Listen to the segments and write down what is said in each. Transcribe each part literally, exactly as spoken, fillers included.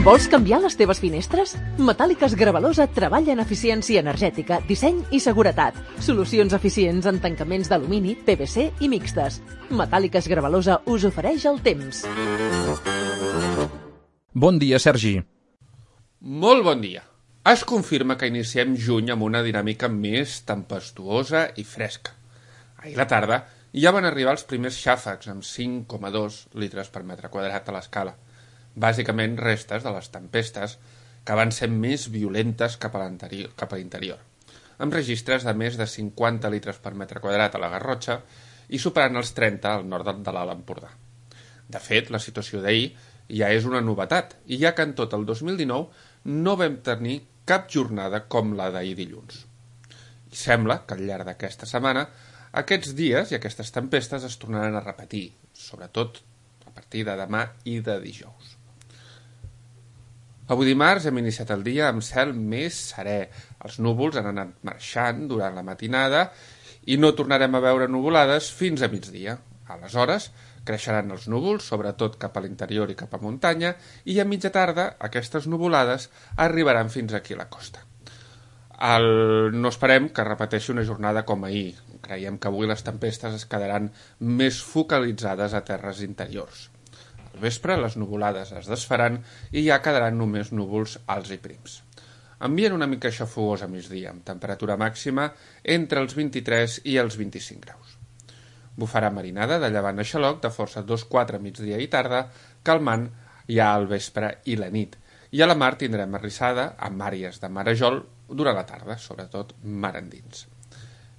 Vols canviar les teves finestres? Metàl·liques Gravalosa treballa en eficiència energètica, disseny i seguretat. Solucions eficients en tancaments d'alumini, P V C i mixtes. Metàl·liques Gravalosa us ofereix el temps. Bon dia, Sergi. Molt bon dia. Es confirma que iniciem juny amb una dinàmica més tempestuosa i fresca. Ahir la tarda ja van arribar els primers xàfecs amb cinc coma dos litres per metre quadrat a l'escala. Bàsicament restes de les tempestes que van ser més violentes cap a l'interior, amb registres de més de cinquanta litres per metre quadrat a la Garrotxa i superant els trenta al nord de l'Alt Empordà. De fet, la situació d'ahir ja és una novetat, i ja que en tot el dos mil dinou no vam tenir cap jornada com la d'ahir dilluns. I sembla que al llarg d'aquesta setmana aquests dies i aquestes tempestes es tornaran a repetir, sobretot a partir de demà i de dijous. Avui dimarts hem iniciat el dia amb cel més serè. Els núvols han anat marxant durant la matinada i no tornarem a veure nuvolades fins a migdia. Aleshores, creixeran els núvols, sobretot cap a l'interior i cap a muntanya, i a mitja tarda aquestes nuvolades arribaran fins aquí a la costa. El... No esperem que repeteixi una jornada com ahir. Creiem que avui les tempestes es quedaran més focalitzades a terres interiors. Al vespre les nuvolades es desfaran i ja quedaran només núvols alts i prims. Ambient una mica xafogós a migdia, amb temperatura màxima entre els vint-i-tres i els vint-i-cinc graus. Bufarà marinada de llevant a xaloc de força dos quatre migdia i tarda, calmant ja al vespre i la nit. I a la mar tindrem arrissada amb àrees de marejol durant la tarda, sobretot mar endins.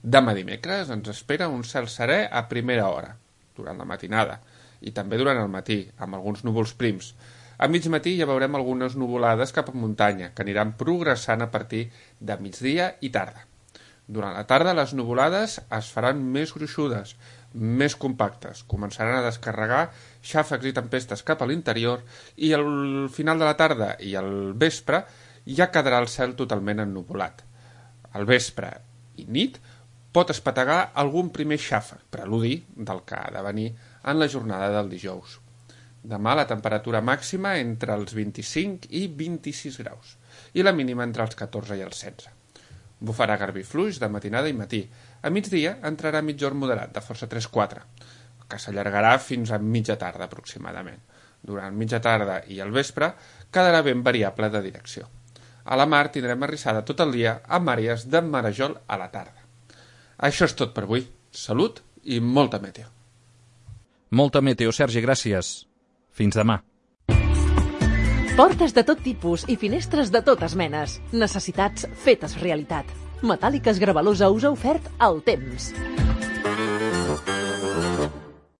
Demà dimecres ens espera un cel serè a primera hora, durant la matinada, i també durant el matí, amb alguns núvols prims. A mig matí ja veurem algunes nuvolades cap a muntanya, que aniran progressant a partir de migdia i tarda. Durant la tarda les nuvolades es faran més gruixudes, més compactes, començaran a descarregar xàfecs i tempestes cap a l'interior i al final de la tarda i al vespre ja quedarà el cel totalment ennuvolat. Al vespre i nit pot espetegar algun primer xàfec, preludi del que ha de venir en la jornada del dijous. Demà la temperatura màxima entre els vint-i-cinc i vint-i-sis graus i la mínima entre els catorze i els setze. Bufarà garbí fluix de matinada i matí. A migdia entrarà mitjorn moderat de força tres quatre, que s'allargarà fins a mitja tarda aproximadament. Durant mitja tarda i al vespre quedarà ben variable de direcció. A la mar tindrem arrissada tot el dia amb àrees de marejol a la tarda. Això és tot per avui. Salut i molta meteo. Molta meteo, Sergi, gràcies. Fins demà. Portes de tot tipus i finestres de totes menes. Necessitats fetes realitat. Metàl·liques Gravalosa us ha ofert el temps.